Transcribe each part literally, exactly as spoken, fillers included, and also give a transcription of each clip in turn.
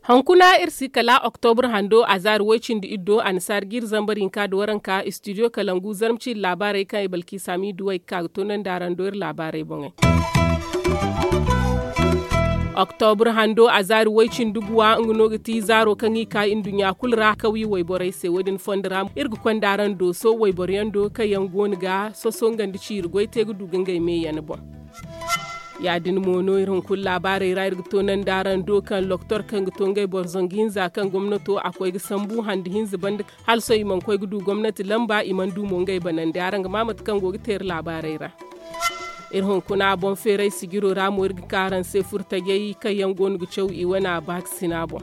Hunkuna iri si kala oktobur hando a zaari woy-cindi iddo annasaara ga iri zambar hinka nda waranka istidiyo kalangu zarma ciiri laabaarey kaŋ i balki saami duwey ga ka ga toonandi araŋ do iri laabaarey boŋey. Oktobur hando a zaari woy-cindi guwa nga no ga ti zaaro kaŋ i ka nduɲɲa kulu ra kawye wayborey se wo- din fondo ra iri ga konda araŋ dooso wayboro yaŋ do kaŋ yaŋ go no ga soso nga nda ciiri goy te ga du ga ngey meeyaŋ boŋ. Ya- din mo no iri hunkuna laabaarey ra iri ga toonandi araŋ do kaŋ loktor kaŋ ga to ngey boro zangu hinza kaŋ gomnato a koy ga sambu hande hinza banda hala sohõ i mana koy ga du gomnati lamba i mana du mo ngey banandi araŋ ga ma mate kaŋ go ga te iri laabaarey ra. Iri hunkuna boŋ feeray sijiro ra mo iri ga ka araŋ se furtajey kaŋ yaŋ go no ga caw i wane a baakasina boŋ.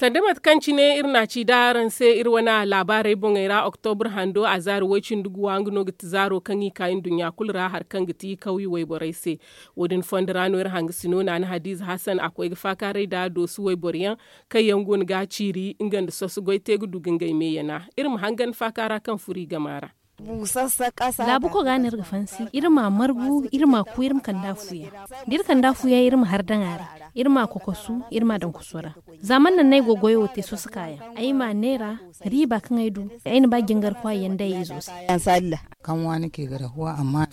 Sanda mate kaŋ cine iri na a ci da araŋ se iri wane laabaarey boŋey ra oktobur hando a zaari woy-cindi guwa nga no ga ti zaaro kaŋ i ka nduɲɲa kulu ra hari kaŋ ga ti kawye wayborey se. Wo- din fondo ra no iri hangasino naana hadiize hasan a koy ga faakaaray nda doosu wayboro yaŋ kaŋ yaŋ go no ga a ciiri nga nda soso goy te ga du ga ngey meeyana iri ma hangan faakaara kaŋ furo i gama ra. Laabu koga no iri ga fansi iri ma a margu iri ma a ku iri ma kande a fuyaŋ da iri kande a fuyaŋ iri ma har daŋ a ra. Iri ma a kokosu iri ma a daŋ koso ra. Za man naŋ no ay go goyo wo te soso kaayaŋ ay ma a neera riiba kaŋ ay du ay na ba jingar kwaay yaŋ day izo se.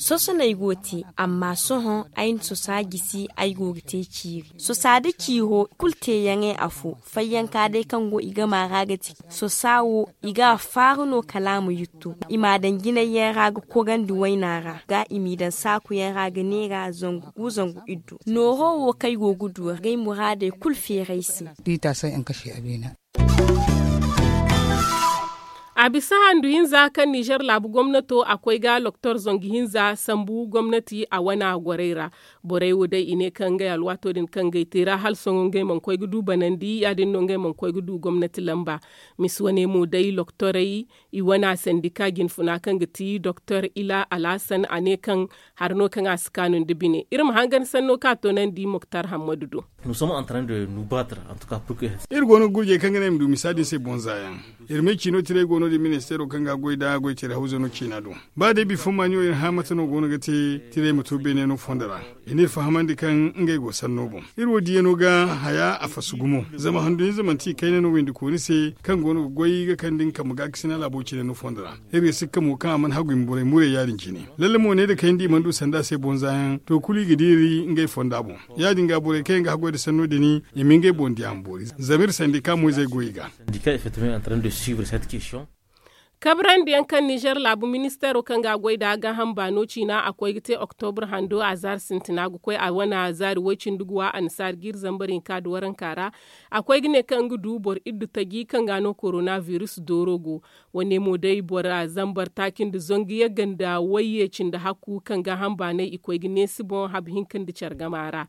Soso no ay go te amma sohõ ay na sosa gisi ay go ga te ciiri sosa nda ciiro kulu teeyaŋey afo. Fayyanka day kaŋ go i gama ra ga ti sosa wo i ga a faaru no kala a ma yuttu i m'a daŋ jinay yaŋ ra ga korandi wayna ra ga i m'i daŋ saaku yaŋ ra ga neera zangu gu zangu iddu nooro wo kaŋ ay go ga du ngey muraadey kulu feeri ay se. A bisa handu hinza kaŋ nizer laabu gomnato a koy ga loktor zangu hinza sambu gomnati a wana gorey ra. Borey wo day i ne kaŋ ngey alwaato din kaŋ ngey te ra hala sohõ ngey mana koy ga du banandi ya- din no ngey mana koy ga du gomnati lamba. Misi wane mo day loktorey i wana sandika jinfuna kaŋ ga ti doktor ila alhasan a ne kaŋ hari no kaŋ a si kaanu nda bine iri ma hangan sanno kaŋ a toonandi moktar hammadu do. Iri go no ga gurjey kaŋ ga naŋ i ma du misa din se boŋ za yaŋ. Iri me ciino tiray go no- din ministeero kaŋ ga a goy nd'a goy tira hawzano ciina do. Ba day bifo maani wo iri hã mate no go no ga te tiray ma to beene no fondo ra. I n'iri fahamandi kaŋ ngey go sanno boŋ. Iri wo diyaŋo ga haya a fasu gumo zama handu hinza manti i kayna no windi kooni se kaŋ go no ga goy ga kande nga kambe gaakasina laabo cine no fondo ra. Iri ga sikka mo kaŋ a mana hagu i ma borey muray ya- din cine. Lalle mo ne nda kayndi i mana du sanda se boŋ za yaŋ to kulu i ga diiri ngey fonda boŋ. Ya- din ga borey kaŋ yaŋ ga haggoy nda sanno din i ma ngey boŋ diya ma boori zama iri sandika mo-izey go i ga. Kabrandi yaŋ kaŋ nizer laabu ministeero kaŋ ga a goy nd'a gaaham baano ciina a koy ga te oktobur hando a zaari sintina ga koy a wane zaari woy-cindi guwa annasaari ga iri zambar hinka nda waranka ra. A koy ga ne kaŋ nga du boro iddu taji kaŋ ga no korona virus dooro go. Wane mo day bora zambar taaci nda zangu yagga nda wayye cindi hakku kaŋ gaaham baanay i koy ga neesi boŋ habu hinka nda care gama ra.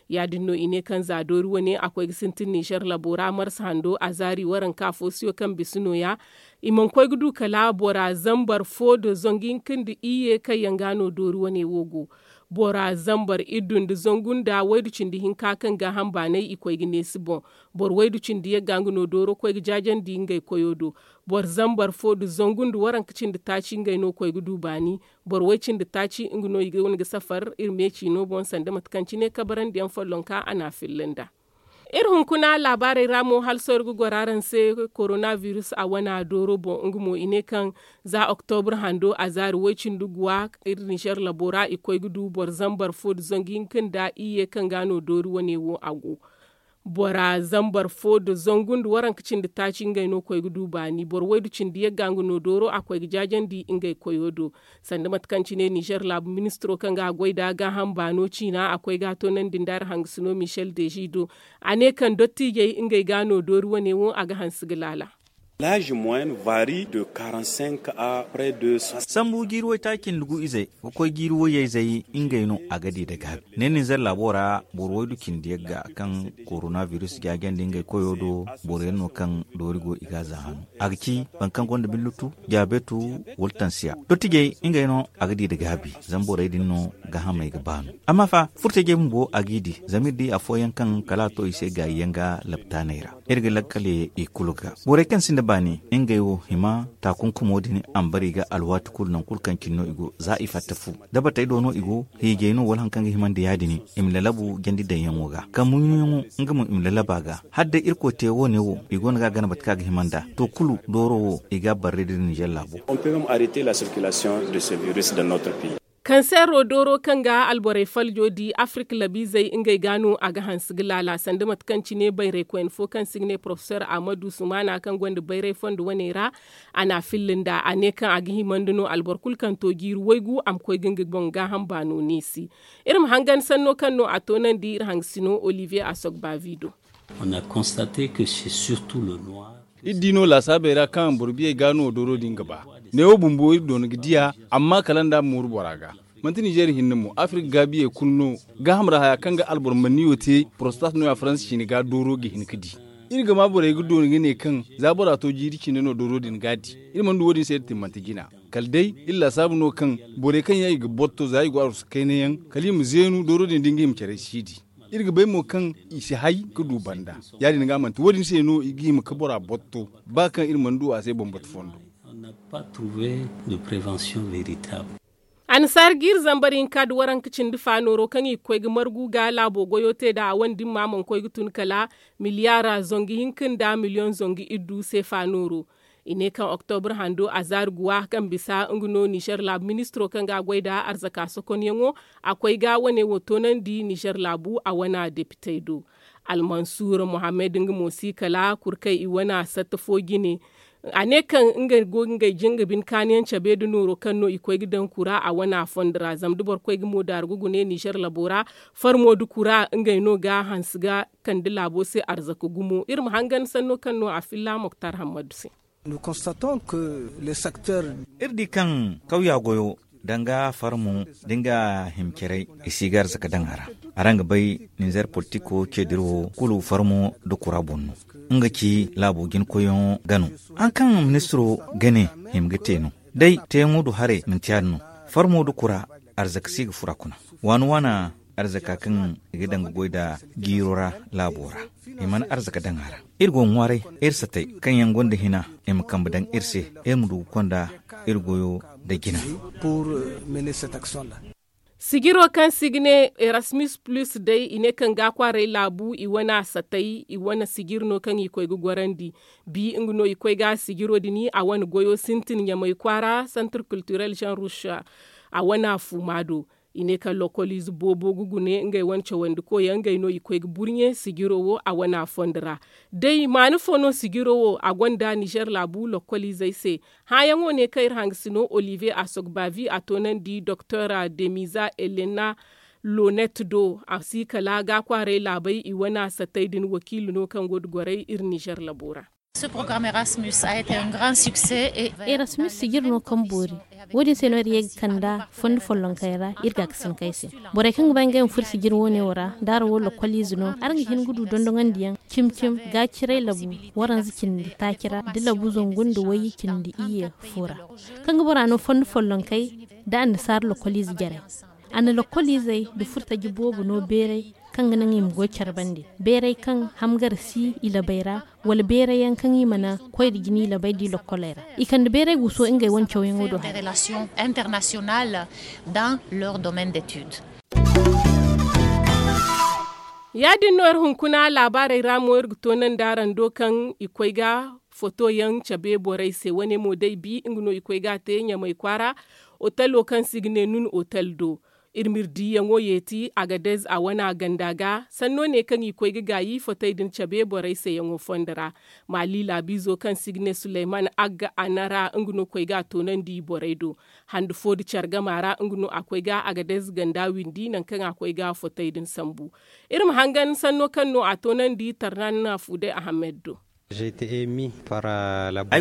Ya- din no i ne kaŋ za doori wane a koy ga sintin nizer labo ra marsa hando a zaari waranka fo siyo kaŋ bisa nooya. I mana koy ga du kala bora zambar fo nda zangu hinka nda iyye kaŋ yaŋ ga no doori wane wo go. Bora zambar iddu nda zangu nda waydu cindi hinka kaŋ gaaham baanay i koy ga neesi boŋ. Boro waydu cindi yagga nga no dooro koy ga jaajandi ngey koyo do. Boro zambar fo nda zangu nda waranka cindi taaci ngey no koy ga du baani. Boro way cindi taaci nga no i ga wane ga safar iri me ciino boŋ sanda mate kaŋ cine kabarandiyaŋ follonka a n'a filla nd'a. Iri hunkuna laabaarey ra mo hala sohõ iri ga goro araŋ se. Korona virus a wana dooro boŋ nga mo i ne kaŋ za oktobur hando a zaari woy-cindi guwa iri nizer labo ra i koy ga du boro zambar fo nda zangu hinka nda iyye kaŋ ga no doori wane wo a go. Bora zambar fo nda zangu nda waranka cindi taaci ngey no koy ga du baani boro waydu cindi yagga nga no dooro a koy ga jaajandi ngey koyo do. Sanda mate kaŋ cine nizer laabu ministiro kaŋ ga a goy nd'a gaaham baano ciina a koy ga a toonandi nda araŋ hangasino michel deji do. A ne kaŋ dottiijey ngey ga no doori wane wo a ga hanse ga laala. L'âge moyen varie de quarante-cinq à près de soixante. Sambu jiiri waytaaci nda gu izey ga koy jiiri wayey zey ngey no a ga di da gaabi. Ne ninzeer laabo ra boro waydu cindi yagga kaŋ korona virus jaajandi ngey koyo do. Boro yaŋ no kaŋ doori go i ga a za hano a ga ci boro kaŋ gonda billutu, diyabetu, wala tansiya dottijey ngey no a ga di da gaabi. Zama borey din no gaahamey ga baanu. Amma fa furtajey bumbo a g'i di zama iri di afooyaŋ kaŋ kala a to i se gaayi yaŋ ga laptaaney ra. Iri ga lakkale i kulu ga borey kaŋ sinda baani ngey wo hima taakunkumo din ambari ga alwaati kulu nangu kulu kaŋ cine no i go za i fatta fu. Dabatey do no i go hiijay no wala hari kaŋ ga himandi ya- din i ma lalabu jandi daŋyaŋo ga kaŋ muɲɲuyaŋo nga mo i ma lalaba ga. Hala day irkoy te wo- ne wo i go no ga a gana mate kaŋ a ga hima nd'a to kulu dooro wo i ga a barre dira ninzeer laabo. On peut même arrêter la circulation de ce virus dans notre pays. Kansero dooro kaŋ ga alborey faljo di afirik labiizey ngey ga no a ga hanse ga laala sanda mate kaŋ cine bayraykoyne fo kaŋ se i ga ne porofesor ahmadu sumana kaŋ gonda bayray fondo wane ra. A n'a filla nd'a a ne kaŋ a ga himandi no alboro kulu kaŋ to jiiri waygu a ma koy ga nga boŋ gaaham baano neesi. Iri ma hangan sanno kaŋ no a toonandi iri hangasino olivier asogbavi do. Iri di no laasaabey ra kaŋ boro biyey ga no dooro din ga ba. Neewo bumbo iri doona ga di a amma kala nda a ma mooru bora ga. Manti nizeer hinne mo afirik gaabiyey kulu no. Gaaham ra haya kaŋ ga alboro manniyo te porostat no ya faransa ciine ga dooro ga hin ga di. Iri ga ma borey ga doona ga ne kaŋ za bora to jiiri cine no dooro din ga a di. Iri mana du wo- din se iri timmante jina kala day iri laasaabu no kaŋ borey kaŋ yaŋ i ga botto za i go arwasu kayna yaŋ kala i ma zeenu dooro din da nga i ma care siidi. Iri ga bay mo kaŋ i si hay ga du banda. Ya- din ga manti wo- din se no i ga hima ga bora botto ba kaŋ iri mana du a se bambata fondo. Annasaara ga iri zambar hinka nda waranka cindi faanooro kaŋ i ga koy ga margu ga laabo goyo te nd'a a wane dimma mana koy ga tun kala miliyaara zangu hinka nda miliyoŋ zangu iddu se faanooro. I ne kaŋ oktobur hando azaari guwa kaŋ bisa nga no nizer laabu ministiro kaŋ ga a goy nd'a arzaka sokonyaŋo a koy ga wane wo toonandi nizer laabu a wana depitey do. Almansuur mohammed nga mo si kala kurkay i wana satta fo jine. A ne kaŋ nga go ga ngey jinga bine kaaniyaŋ cabe nda nooro kaŋ no i koy ga daŋ kura a wana fondo ra zama da boro koy ga mo daaru ga gune nizer labo ra. Farmo nda kura ngey no ga hanse ga kande laabo se arzaka gumo iri ma hangan sanno kaŋ no a filla moktar hammadu se. Iri di kaŋ kawya goyo danga farmo da nga himcaray i si ga arzaka daŋ a ra. Araŋ ga bay ninzeer politiko ceediri wo kulu farmo nda kura boŋ no. Nga ci laabo jinkoyyaŋo ga no. Hari kaŋ ministiro ga ne hima ga te no. Day teeyaŋo du haray manti ya- din no. Farmo nda kura arzaka si ga fura kuna. Waana waana arzaka kaŋ i ga daŋ ga goy nda jiiro ra laabo ra. I mana arzaka daŋ a ra. Iri go ga ŋwaaray iri satay kaŋ yaŋ gonda hina i ma kambe daŋ iri se. Iri ma du ga konda iri goyo nda jina. Sijiro kaŋ se i ga ne erasmus plus day i ne kaŋ ga kwaaray laabu i wane a satay i wane sijir no kaŋ i koy ga gorandi. Bi nga no i koy ga sijiro din a wane goyo sintin ɲamay kwaara santir kulturel jean rouche. A wane a fuuma do. I ne kaŋ lokoliize boobo ga gune ngey wane cawandi koyaŋ ngey no i koy ga burɲe sijiro wo a wane a fondo ra. Day maana fo no sijiro wo a gonda nizer laabu lokoliizey se? Hããyaŋo ne kaŋ iri hangasino olivier asogbavi a toonandi doktor demiza elena lonet do a si kala ga kwaaray laabey i wane a satay din wakiila no kaŋ go ga goray iri nizer labo ra. Erasmus sijir no kaŋ boori. Wo- din se no iri ye ga kand'a fondo follonkey ra iri gaakasinkey se. Borey kaŋ ga ba ngey ma furo sijir wo- ne wo ra da araŋ wo lokoliize no araŋ ga hin ga du dondoŋandiyaŋ cimi cimi gaaciray labu waranza cindi taaci ra nda labu zangu nda wayye cindi iyye fo ra. Kaŋ ga bora no fondo follonkey nda annasaara lokoliize jarey. A na lokoliizey nda furtaji boobo no beeray kaŋ ga naŋ i ma goy care bande beeray kaŋ hamgar si i labey ra wala beeray yaŋ kaŋ i mana koy nda jina i labey nda i lokkoley ra. I kande beeray guuso ngey wane cawyaŋo do haray. Ya- din no iri hunkuna laabaarey ra mo iri ga toonandi araŋ do kaŋ i koy ga fotoyaŋ cabe borey se wane mo day bi nga no i koy ga a te ɲamay kwaara. Otalo kaŋ se i ga ne nun otal do. Iri m'iri diiyaŋo yeeti agadez a wana ganda ga sanno ne kaŋ i koy ga gaayi fotey din cabe borey se yaŋo fondo ra. Maali laabiizo kaŋ se i ga ne suleyman agga anara nga no koy ga a toonandi borey do. Hande fo nda care gama ra nga no a koy ga agadez ganda windi nangu kaŋ a koy ga fotey din sambu. Iri ma hangan sanno kaŋ no a toonandi tarnan fuuday ahammed do. Ay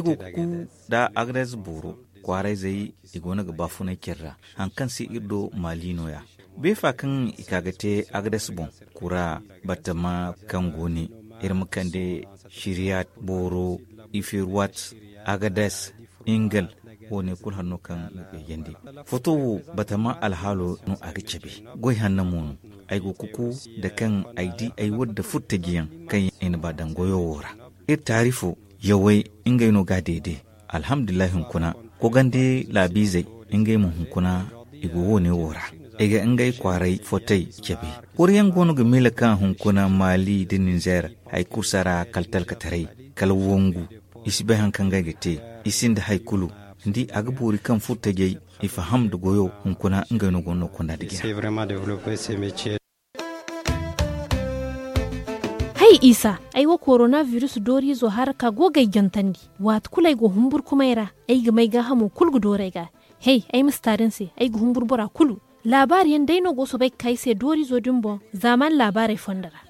go ga ku nda agades booro, kwaarayzey i go no ga baafunay care ra. Hari kaŋ se iri do maali no- ya. Beefa kaŋ i ka ga te agades boŋ, kura, batama kaŋ go ne, iri ma kande, siriyat, booro, iferuwat, agades, ingal, wo- ne kulu hari no kaŋ ga gayjandi. Foto wo, batama alhaalo no a ga cabe. Goy hanna mo no. Ay go ga ku nda kaŋ ay di ay wadda furtajiyaŋ kaŋ i na ba daŋ goyo wo ra. Iri taarifo, yawey, ngey no ga a deede. Alhamdulillahi hunkuna, kogandi laabiizey, ngey mo hunkuna, i go wo- ne wo ra. I ga ngey kwaaray fotey cabe. Koriyaŋ go no ga miila kaŋ hunkuna maali nda ninzeer, hari kulu si a ra kala talkataray, kala wangu. I si bay hari kaŋ ga ay ga te. I sinda hari kulu. Ni di, a ga boori kaŋ furtajey, i faham nda goyo hunkuna ngey no go no konda nda jina. Hay isa, ay wo korona virus dooriizo haraka go ga ay jantandi. Waati kulu ay go humburkumay ra, ay ga may gaahamo kulu ga doori ay ga. Hay, ay ma si taari ni se, ay ga humburu bora kulu. Laabaari yaŋ day no go soobay ga ka ay se dooriizo din boŋ, zaamaani laabaarey fondo ra.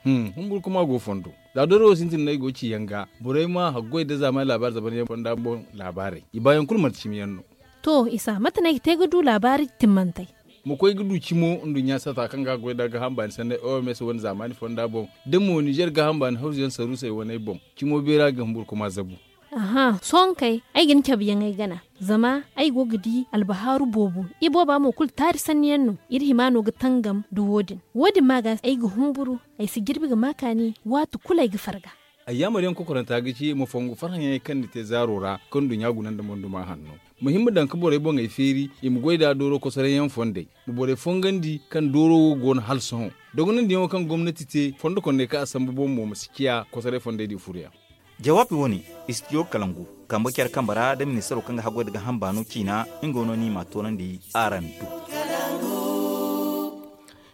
Humburkuma go fondo, za doori wo sintin no ay go ga ci yaŋ ga. Borey ma haggoy nda zaamaani laabaari zaban yaŋ fonda boŋ laabaarey, i baayaŋ kulu manti cimi yaŋ no. To isa, mate no ay ga te ga du laabaari timmantey? Ma koy ga du cimo nduɲɲa sata kaŋ ga a goy nda gaaham baani sanney oms wane zaamaani fonda boŋ, da mo nizer gaaham baani hawzu yaŋ saruusey waney boŋ, cimo beera ga humburkuma zabu. Aha, sohõ kay, ay ga ni cabe yaŋ ay gana. Zama ay go ga di albahaaru boobo. Ibooba mo kulu taari sanni yaŋ no. Iri hima no ga tangam nda wo- din. Wo- din ma ga ay ga humburu, ay si jirbi ga ma kaani, waati kulu ay ga farga. Ay yaamar yaŋ kokoranta ga ci ma fongu farhã yaŋey kaŋ ni te zaaro ra, kaŋ nduɲɲa guna nda monduma hanno. Muhim ma daŋ ga borey boŋey feeri, i ma goy nd'a dooro kosoray yaŋ fondey. Ma borey fongandi kaŋ dooro wo go no hala sohõ. Dogonandiyaŋo kaŋ gomnati te fondo kondey kaŋ a sambu boŋ mo ma si ciya kosoray fondey din furoyaŋ. Jawaabi wo- ne, istidiyo kalangu, kambe care kambe ra nda ministaro kaŋ ga haggoy nda gaaham baano ciina, nga no no ni m'a toonandi araŋ do.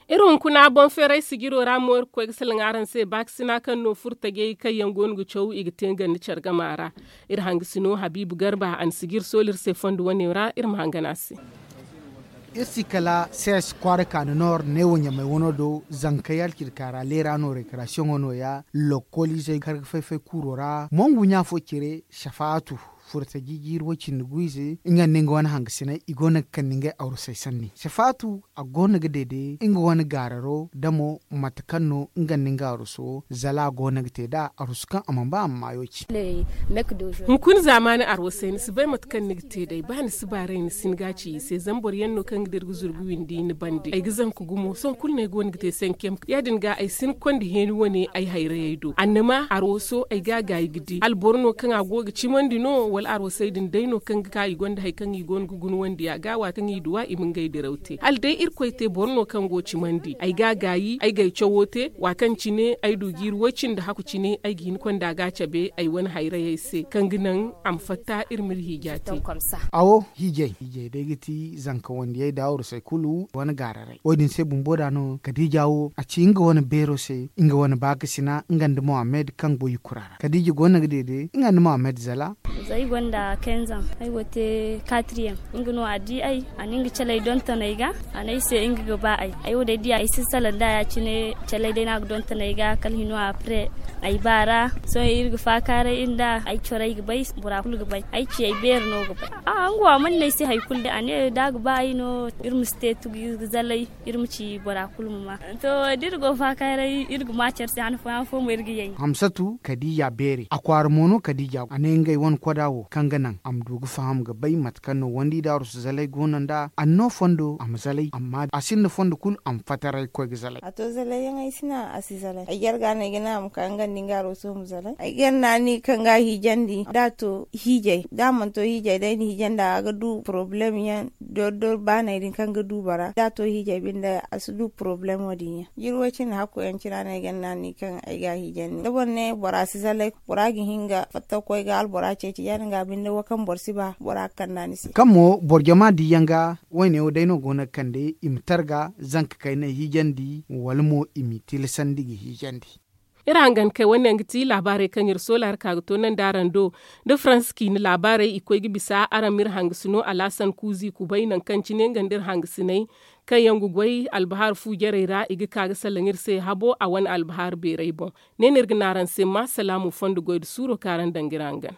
Iri hunkuna boŋ feeray sijiro ra mo iri ga koy ga salaŋ araŋ se baakasina kaŋ no furtajey kaŋ yaŋ go no ga caw i ga te nga nda care gama ra. Iri hangasino habiibu garba a na sijir sooli iri se fondo wane ra iri ma hangan a se. Iri si kala sees kwaara kaani noor neewo ɲamay wano do zankey alcirka ra leera no rekarasiyoŋo no- ya. Lokkoliizey kar ga fay-fay kuuro ra mongu ɲa fo cire safaatu furtaji jiiri way-cindi gu-ize nga nda nga wane hangasiney i go no ga kande ngey arusey sanni safaatu a go no ga deede nga wane gaararo damo mate kaŋ no nga nda nga aruso zala a go no ga te nd'a aruso kaŋ a mana ba a ma maayo ci. Hunkuna zaamaani arwasey ni si bay mate kaŋ ni ga te day ba ni si baaray ni si ni ga a ci i se zama boro yaŋ no kaŋ ga dira ga zuru ga windi ni bande ay ga zanka gumo sohõ kulu no ay go no ga te sankem ya- din ga ay si ni konda heeni wane ay hayrayey do annama arwaso ay ga a gaayi ga di hala boro no kaŋ a go ga cimandi no wala arwasey din day no kaŋ ga ka i gonda hari kaŋ i go no ga guna wandi a ga waati kaŋ i duwa i ma ngey diraw te hala day irkoy te boro no kaŋ go cimandi ay ga a gaayi ay ga ay cawo te waati kaŋ cine ay du jiiri way- cindi haku cine ay ga hin konda ga a cabe ay wane hayrayey se kaŋ ga naŋ a ma fatta iri ma iri hiija te. Awo hiijay hiijay day ga ti zanka wandiyey da arusey kulu wane gaararay wo- din se bumbo da no kadiija wo a ci nga wane beero se nga wane baakasina nga nda mohammed kaŋ go yukura ra kadiija go no ga deede nga nda mohammed zala. Za ay gonda kenzaŋ ay go te katriyaŋ nga no a di ay a na nga caley donton ay ga a ne ay se nga ga ba ay ay wo day diya ay si salaŋ da ya- cine caley day no a ga donton ay ga kala hino a pre ay ba ra sohõ iri ga faakaaray nda ay corey ga bay bora kulu ga bay ay ciyey beeri no ga bay. Nga wo a mana ne ay se hari kulu day a ne da a ga ba ay no iri ma si te tugu iri ga zalay iri ma ci bora kulu ma ma. To da iri go faakaaray iri ga ma care se han fooyaŋ fo mo iri ga yay. Hamsatu kadiija beeri a kwaara mo no kadiija a ne ngey wane koda wo kaŋ ga naŋ a ma du ga faham ga bay mate kaŋ no wandi daaru si zalay go no nd'a a na no fondo a ma zalay amma a sinda fondo kulu a ma fataray ga koy ga zalay. A to zalay yaŋ ay si naŋ a si zalay ay jarga no ay ga naŋ a ma ka nga nda nga aro sohõ ma zalay ay gar naani kaŋ ga a hiijandi da a to hiijay da a mana to hiijay day na hiijandi a ga du porobalem yaŋ dor dor baanay din kaŋ ga du bora da a to hiijay binde a si du porobalemo din yaŋ jiri way cindi hakku yaŋ cina no ay gar naani kaŋ ay ga a hiijandi da boro ne bora si zalay bora ga hin ga fatta ga koy ga albora ceeci ya- din ga binde wo kaŋ boro si ba bora ga kande a ni se. Kaŋ mo boro jama di yaŋ ga wayne wo day no go no ga kande i ma targa zanka kayna hiijandi wala mo i m'i tilasandi ga hiijandi. Iri hangan kay wane yaŋ ga ti laabaarey kaŋ iri soola iri ka ga to naŋ da araŋ do da faransa ciine laabaarey i koy ga bisa araŋ ma iri hangasino alaasan kuuzi kubay naŋ kaŋ cine nga nda iri hangasiney. kaŋ yaŋ ga goy albahaari fu jarey ra i ga ka ga salaŋ iri se habo a wane albahaari beerey boŋ. Ne no iri ga ne araŋ se ma salaamu fondo goy nda suuro kaŋ araŋ daŋ ga iri hangan.